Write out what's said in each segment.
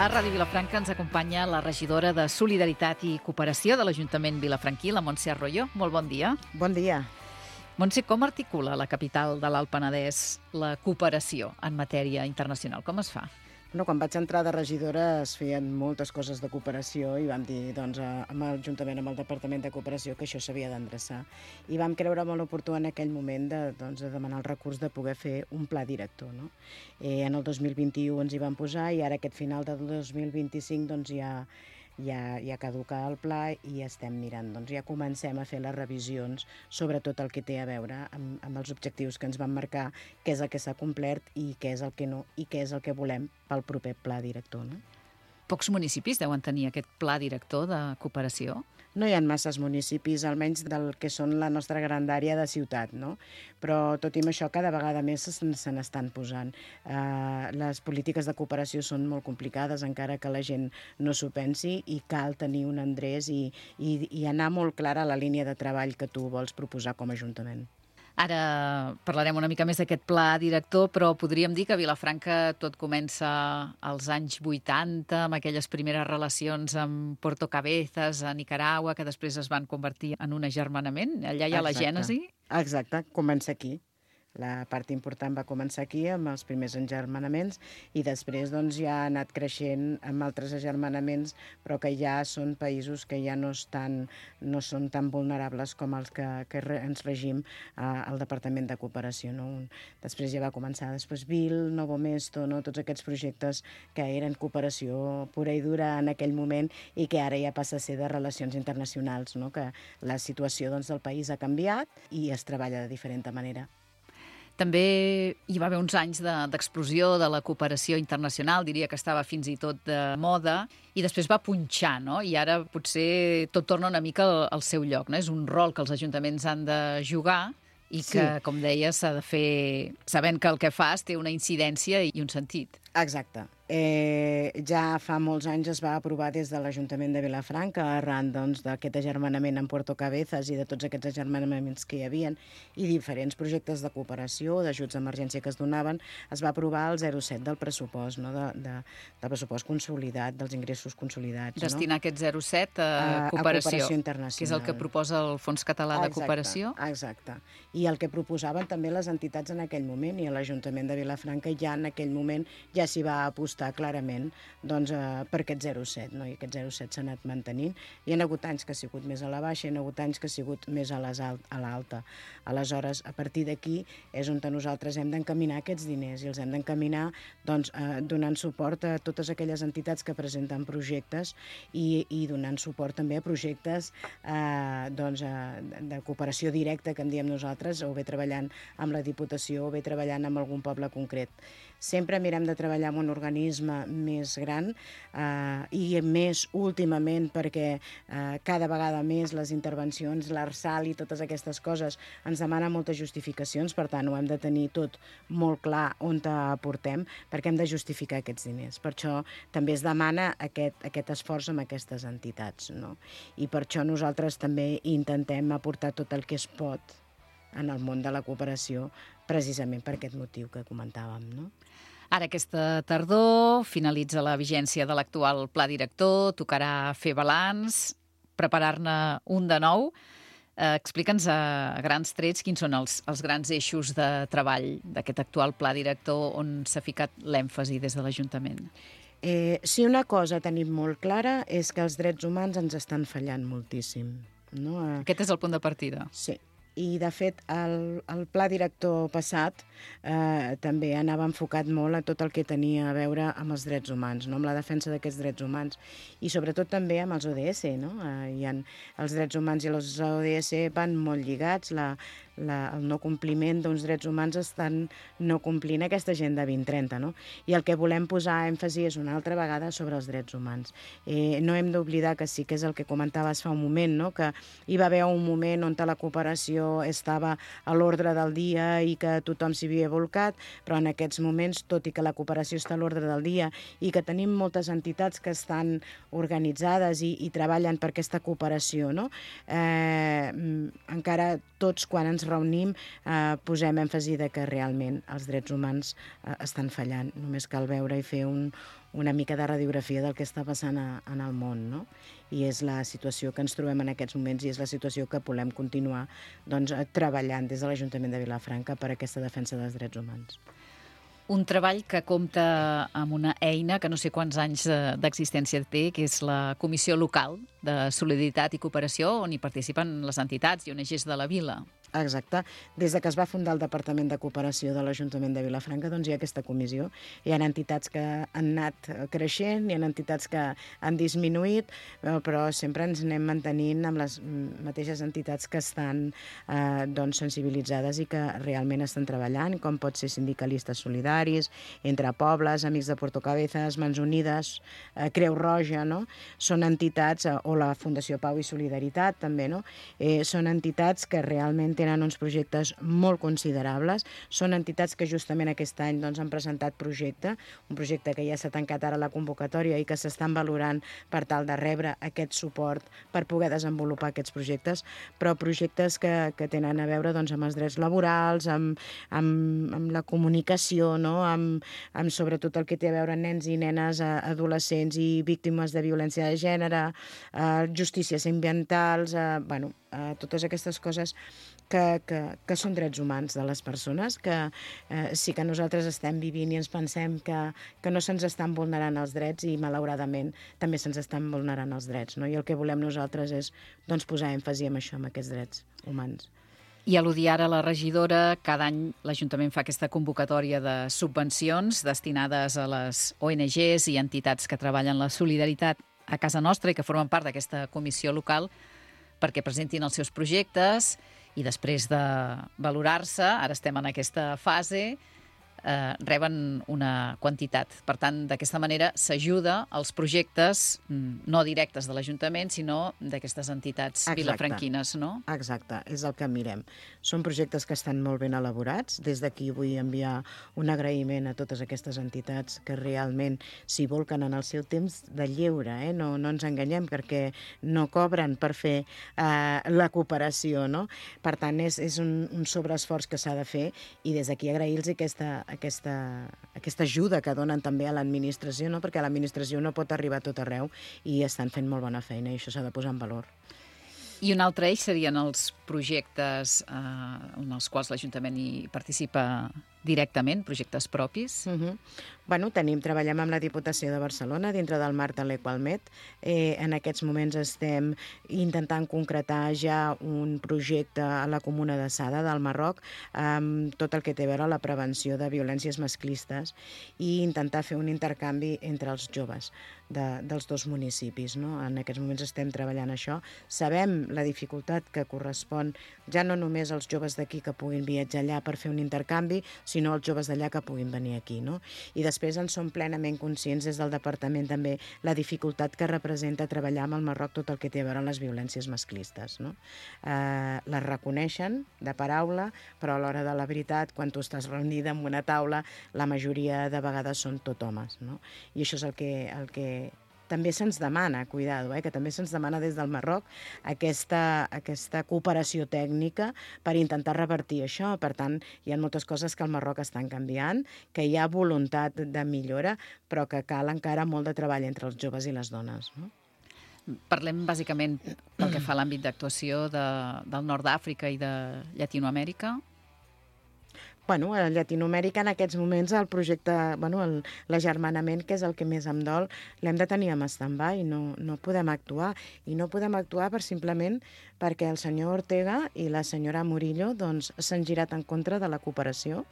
A Ràdio Vilafranca ens acompanya la regidora de Solidaritat i Cooperació de l'Ajuntament vilafranquí, la Montse Arroyo. Molt bon dia. Bon dia. Montse, com articula la capital de l'Alt Penedès la cooperació en matèria internacional? Com es fa? Quan vaig entrar de regidora es feien moltes coses de cooperació i vam dir, juntament amb el Departament de Cooperació, que això s'havia d'endreçar. I vam creure molt oportú en aquell moment de demanar el recurs de poder fer un pla director. No? En el 2021 ens hi vam posar i ara aquest final del 2025 ja caduca el pla i estem mirant. Ja comencem a fer les revisions sobre tot el que té a veure amb els objectius que ens van marcar, què és el que s'ha complert i què és el que no, i què és el que volem pel proper pla director. No? Pocs municipis deuen tenir aquest pla director de cooperació? No hi ha masses municipis, almenys del que són la nostra grandària de ciutat, no? Però tot i això cada vegada més se n'estan posant. Les polítiques de cooperació són molt complicades, encara que la gent no s'ho pensi, i cal tenir un endreç i anar molt clara a la línia de treball que tu vols proposar com a Ajuntament. Ara parlarem una mica més d'aquest pla director, però podríem dir que a Vilafranca tot comença als anys 80, amb aquelles primeres relacions amb Puerto Cabezas, a Nicaragua, que després es van convertir en un agermanament. Allà hi ha la gènesi? Exacte, comença aquí. La part important va començar aquí, amb els primers agermanaments, i després ja ha anat creixent amb altres agermanaments, però que ja són països que ja no són tan vulnerables com els que ens regim al Departament de Cooperació. No? Després ja va començar Vil, Novo Mesto, no? Tots aquests projectes que eren cooperació pura i dura en aquell moment i que ara ja passa a ser de relacions internacionals, no? Que la situació del país ha canviat i es treballa de diferent manera. També hi va haver uns anys d'explosió de la cooperació internacional, diria que estava fins i tot de moda, i després va punxar, no? I ara potser tot torna una mica al seu lloc, no? És un rol que els ajuntaments han de jugar i que, com deia, s'ha de fer sabent que el que fas té una incidència i un sentit. Exacte. Ja fa molts anys es va aprovar des de l'Ajuntament de Vilafranca, arran d'aquest agermanament amb Puerto Cabezas i de tots aquests agermanaments que hi havia i diferents projectes de cooperació, d'ajuts d'emergència que es donaven, es va aprovar el 0,7 del pressupost, no? Del pressupost consolidat, dels ingressos consolidats. Destinar aquest 0,7 a cooperació internacional, que és el que proposa el Fons Català de Cooperació. Exacte. I el que proposaven també les entitats en aquell moment, i l'Ajuntament de Vilafranca ja en aquell moment ja s'hi va apostar clarament per aquest 0,7, no? I aquest 0,7 s'ha anat mantenint. Hi ha hagut anys que ha sigut més a la baixa, hi ha hagut anys que ha sigut més a l'alta. Aleshores, a partir d'aquí és on nosaltres hem d'encaminar aquests diners i els hem d'encaminar donant suport a totes aquelles entitats que presenten projectes i donant suport també a projectes de cooperació directa, que en diem nosaltres, o bé treballant amb la Diputació o bé treballant amb algun poble concret. Sempre mirem de treballar amb un organisme més gran i més últimament perquè cada vegada més les intervencions, l'ARSAL i totes aquestes coses ens demanen moltes justificacions, per tant ho hem de tenir tot molt clar on aportem perquè hem de justificar aquests diners. Per això també es demana aquest esforç amb aquestes entitats, no? I per això nosaltres també intentem aportar tot el que es pot en el món de la cooperació precisament per aquest motiu que comentàvem, no? Ara aquesta tardor finalitza la vigència de l'actual pla director, tocarà fer balanç, preparar-ne un de nou. Explica'ns a grans trets quins són els grans eixos de treball d'aquest actual pla director on s'ha ficat l'èmfasi des de l'Ajuntament. Si una cosa tenim molt clara és que els drets humans ens estan fallant moltíssim. No? Aquest és el punt de partida. Sí. I, de fet, el pla director passat també anava enfocat molt a tot el que tenia a veure amb els drets humans, no? Amb la defensa d'aquests drets humans i sobretot també amb els ODS. No? Els drets humans i els ODS van molt lligats, el no compliment d'uns drets humans estan no complint aquesta Agenda 2030. No? I el que volem posar èmfasi és una altra vegada sobre els drets humans. No hem d'oblidar que sí que és el que comentaves fa un moment, no? Que hi va haver un moment on la cooperació estava a l'ordre del dia i que tothom s'hi havia volcat, però en aquests moments, tot i que la cooperació està a l'ordre del dia i que tenim moltes entitats que estan organitzades i treballen per aquesta cooperació, no? Encara tots, quan ens reunim posem èmfasi de que realment els drets humans estan fallant. Només cal veure i fer una mica de radiografia del que està passant en el món, no? I és la situació que ens trobem en aquests moments i és la situació que volem continuar treballant des de l'Ajuntament de Vilafranca per aquesta defensa dels drets humans. Un treball que compta amb una eina que no sé quants anys d'existència té, que és la Comissió Local de Solidaritat i Cooperació, on hi participen les entitats i ONGs de la vila. Exacte. Des que es va fundar el Departament de Cooperació de l'Ajuntament de Vilafranca, doncs hi ha aquesta comissió. Hi ha entitats que han anat creixent, hi ha entitats que han disminuït, però sempre ens anem mantenint amb les mateixes entitats que estan sensibilitzades i que realment estan treballant, com pot ser Sindicalistes Solidaris, Entre Pobles, Amics de Portocabezas, Mans Unides, Creu Roja, no? Són entitats, o la Fundació Pau i Solidaritat, també, no? Són entitats que realment tenen uns projectes molt considerables. Són entitats que justament aquest any han presentat un projecte que ja s'ha tancat ara la convocatòria i que s'estan valorant per tal de rebre aquest suport per poder desenvolupar aquests projectes, però projectes que tenen a veure amb els drets laborals, amb la comunicació, no? amb sobretot el que té a veure amb nens i nenes, adolescents i víctimes de violència de gènere, justícies ambientals, totes aquestes coses que són drets humans de les persones, que sí que nosaltres estem vivint i ens pensem que no se'ns estan vulnerant els drets i malauradament també se'ns estan vulnerant els drets, no? I el que volem nosaltres és posar èmfasi en això, en aquests drets humans. I al·ludir ara la regidora, cada any l'Ajuntament fa aquesta convocatòria de subvencions destinades a les ONGs i entitats que treballen la solidaritat a casa nostra i que formen part d'aquesta comissió local perquè presentin els seus projectes i després de valorar-se, ara estem en aquesta fase, reben una quantitat. Per tant, d'aquesta manera s'ajuda als projectes no directes de l'Ajuntament, sinó d'aquestes entitats vilafranquines, no? Exacte, és el que mirem. Són projectes que estan molt ben elaborats. Des d'aquí vull enviar un agraïment a totes aquestes entitats que realment s'hi volquen en el seu temps de lleure, no ens enganyem, perquè no cobren per fer la cooperació, no? Per tant, és un sobreesforç que s'ha de fer i des d'aquí agrair-los aquesta ajuda que donen també a l'administració, no? Perquè l'administració no pot arribar a tot arreu i estan fent molt bona feina i això s'ha de posar en valor. I un altre eix serien els projectes en els quals l'Ajuntament hi participa directament, projectes propis? Treballem amb la Diputació de Barcelona dintre del marc de l'Equalmet. En aquests moments estem intentant concretar ja un projecte a la Comuna de Sada del Marroc amb tot el que té a veure la prevenció de violències masclistes i intentar fer un intercanvi entre els joves dels dos municipis, no? En aquests moments estem treballant això. Sabem la dificultat que correspon ja no només als joves d'aquí que puguin viatjar allà per fer un intercanvi, sinó als joves d'allà que puguin venir aquí, no? I després en som plenament conscients des del departament també la dificultat que representa treballar amb el Marroc tot el que té a veure amb les violències masclistes, no? Les reconeixen de paraula, però a l'hora de la veritat, quan tu estàs reunida en una taula, la majoria de vegades són tot homes, no? I això és el que també se'ns demana, cuidado, que també se'ns demana des del Marroc aquesta cooperació tècnica per intentar revertir això. Per tant, hi ha moltes coses que al Marroc estan canviant, que hi ha voluntat de millora, però que cal encara molt de treball entre els joves i les dones, no? Parlem bàsicament pel que fa a l'àmbit d'actuació del nord d'Àfrica i de Llatinoamèrica. A Llatinoamèrica en aquests moments el projecte, l'agermanament, que és el que més em dol, l'hem de tenir en stand-by, no podem actuar. I no podem actuar simplement perquè el senyor Ortega i la senyora Murillo s'han girat en contra de la cooperació,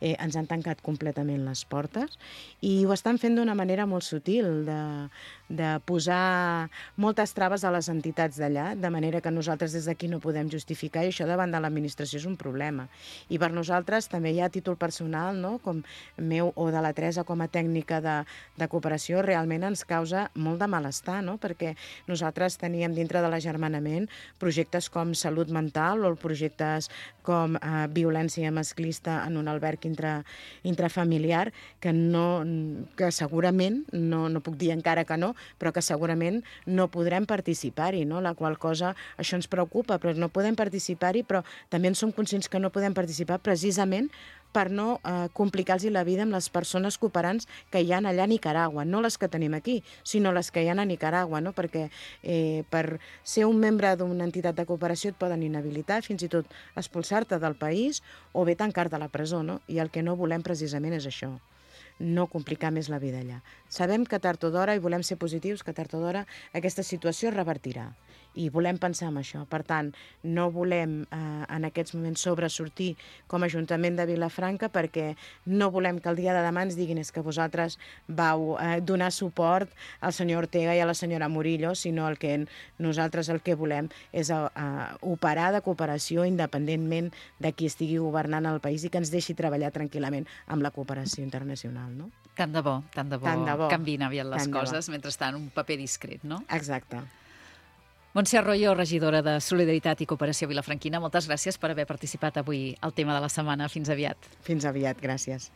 ens han tancat completament les portes i ho estan fent d'una manera molt sutil, de posar moltes traves a les entitats d'allà, de manera que nosaltres des d'aquí no podem justificar i això davant de l'administració és un problema. I per nosaltres també hi ha títol personal, no? Com meu o de la Teresa com a tècnica de cooperació, realment ens causa molt de malestar, no? Perquè nosaltres teníem dintre de l'agermanament projectes projectes com salut mental o projectes com violència masclista en un alberg intrafamiliar que segurament, no puc dir encara que no, però que segurament no podrem participar-hi, no? La qual cosa, això ens preocupa, però no podem participar-hi, però també en som conscients que no podem participar precisament per no complicar-los la vida amb les persones cooperants que hi ha allà a Nicaragua, no les que tenim aquí, sinó les que hi ha a Nicaragua, no? Perquè per ser un membre d'una entitat de cooperació et poden inhabilitar, fins i tot expulsar-te del país o bé tancar-te a la presó, no? I el que no volem precisament és això, no complicar més la vida allà. Sabem que tard o d'hora, i volem ser positius, que tard o d'hora aquesta situació es revertirà. I volem pensar en això. Per tant, no volem en aquests moments sobresortir com a Ajuntament de Vilafranca perquè no volem que el dia de demà ens diguin és que vosaltres vau donar suport al senyor Ortega i a la senyora Murillo, sinó nosaltres el que volem és operar de cooperació independentment de qui estigui governant el país i que ens deixi treballar tranquil·lament amb la cooperació internacional, no? Tant de bo canviïn aviat les coses, mentrestant un paper discret, no? Exacte. Montse Arroyo, regidora de Solidaritat i Cooperació Vilafranquina, moltes gràcies per haver participat avui al tema de la setmana. Fins aviat. Fins aviat, gràcies.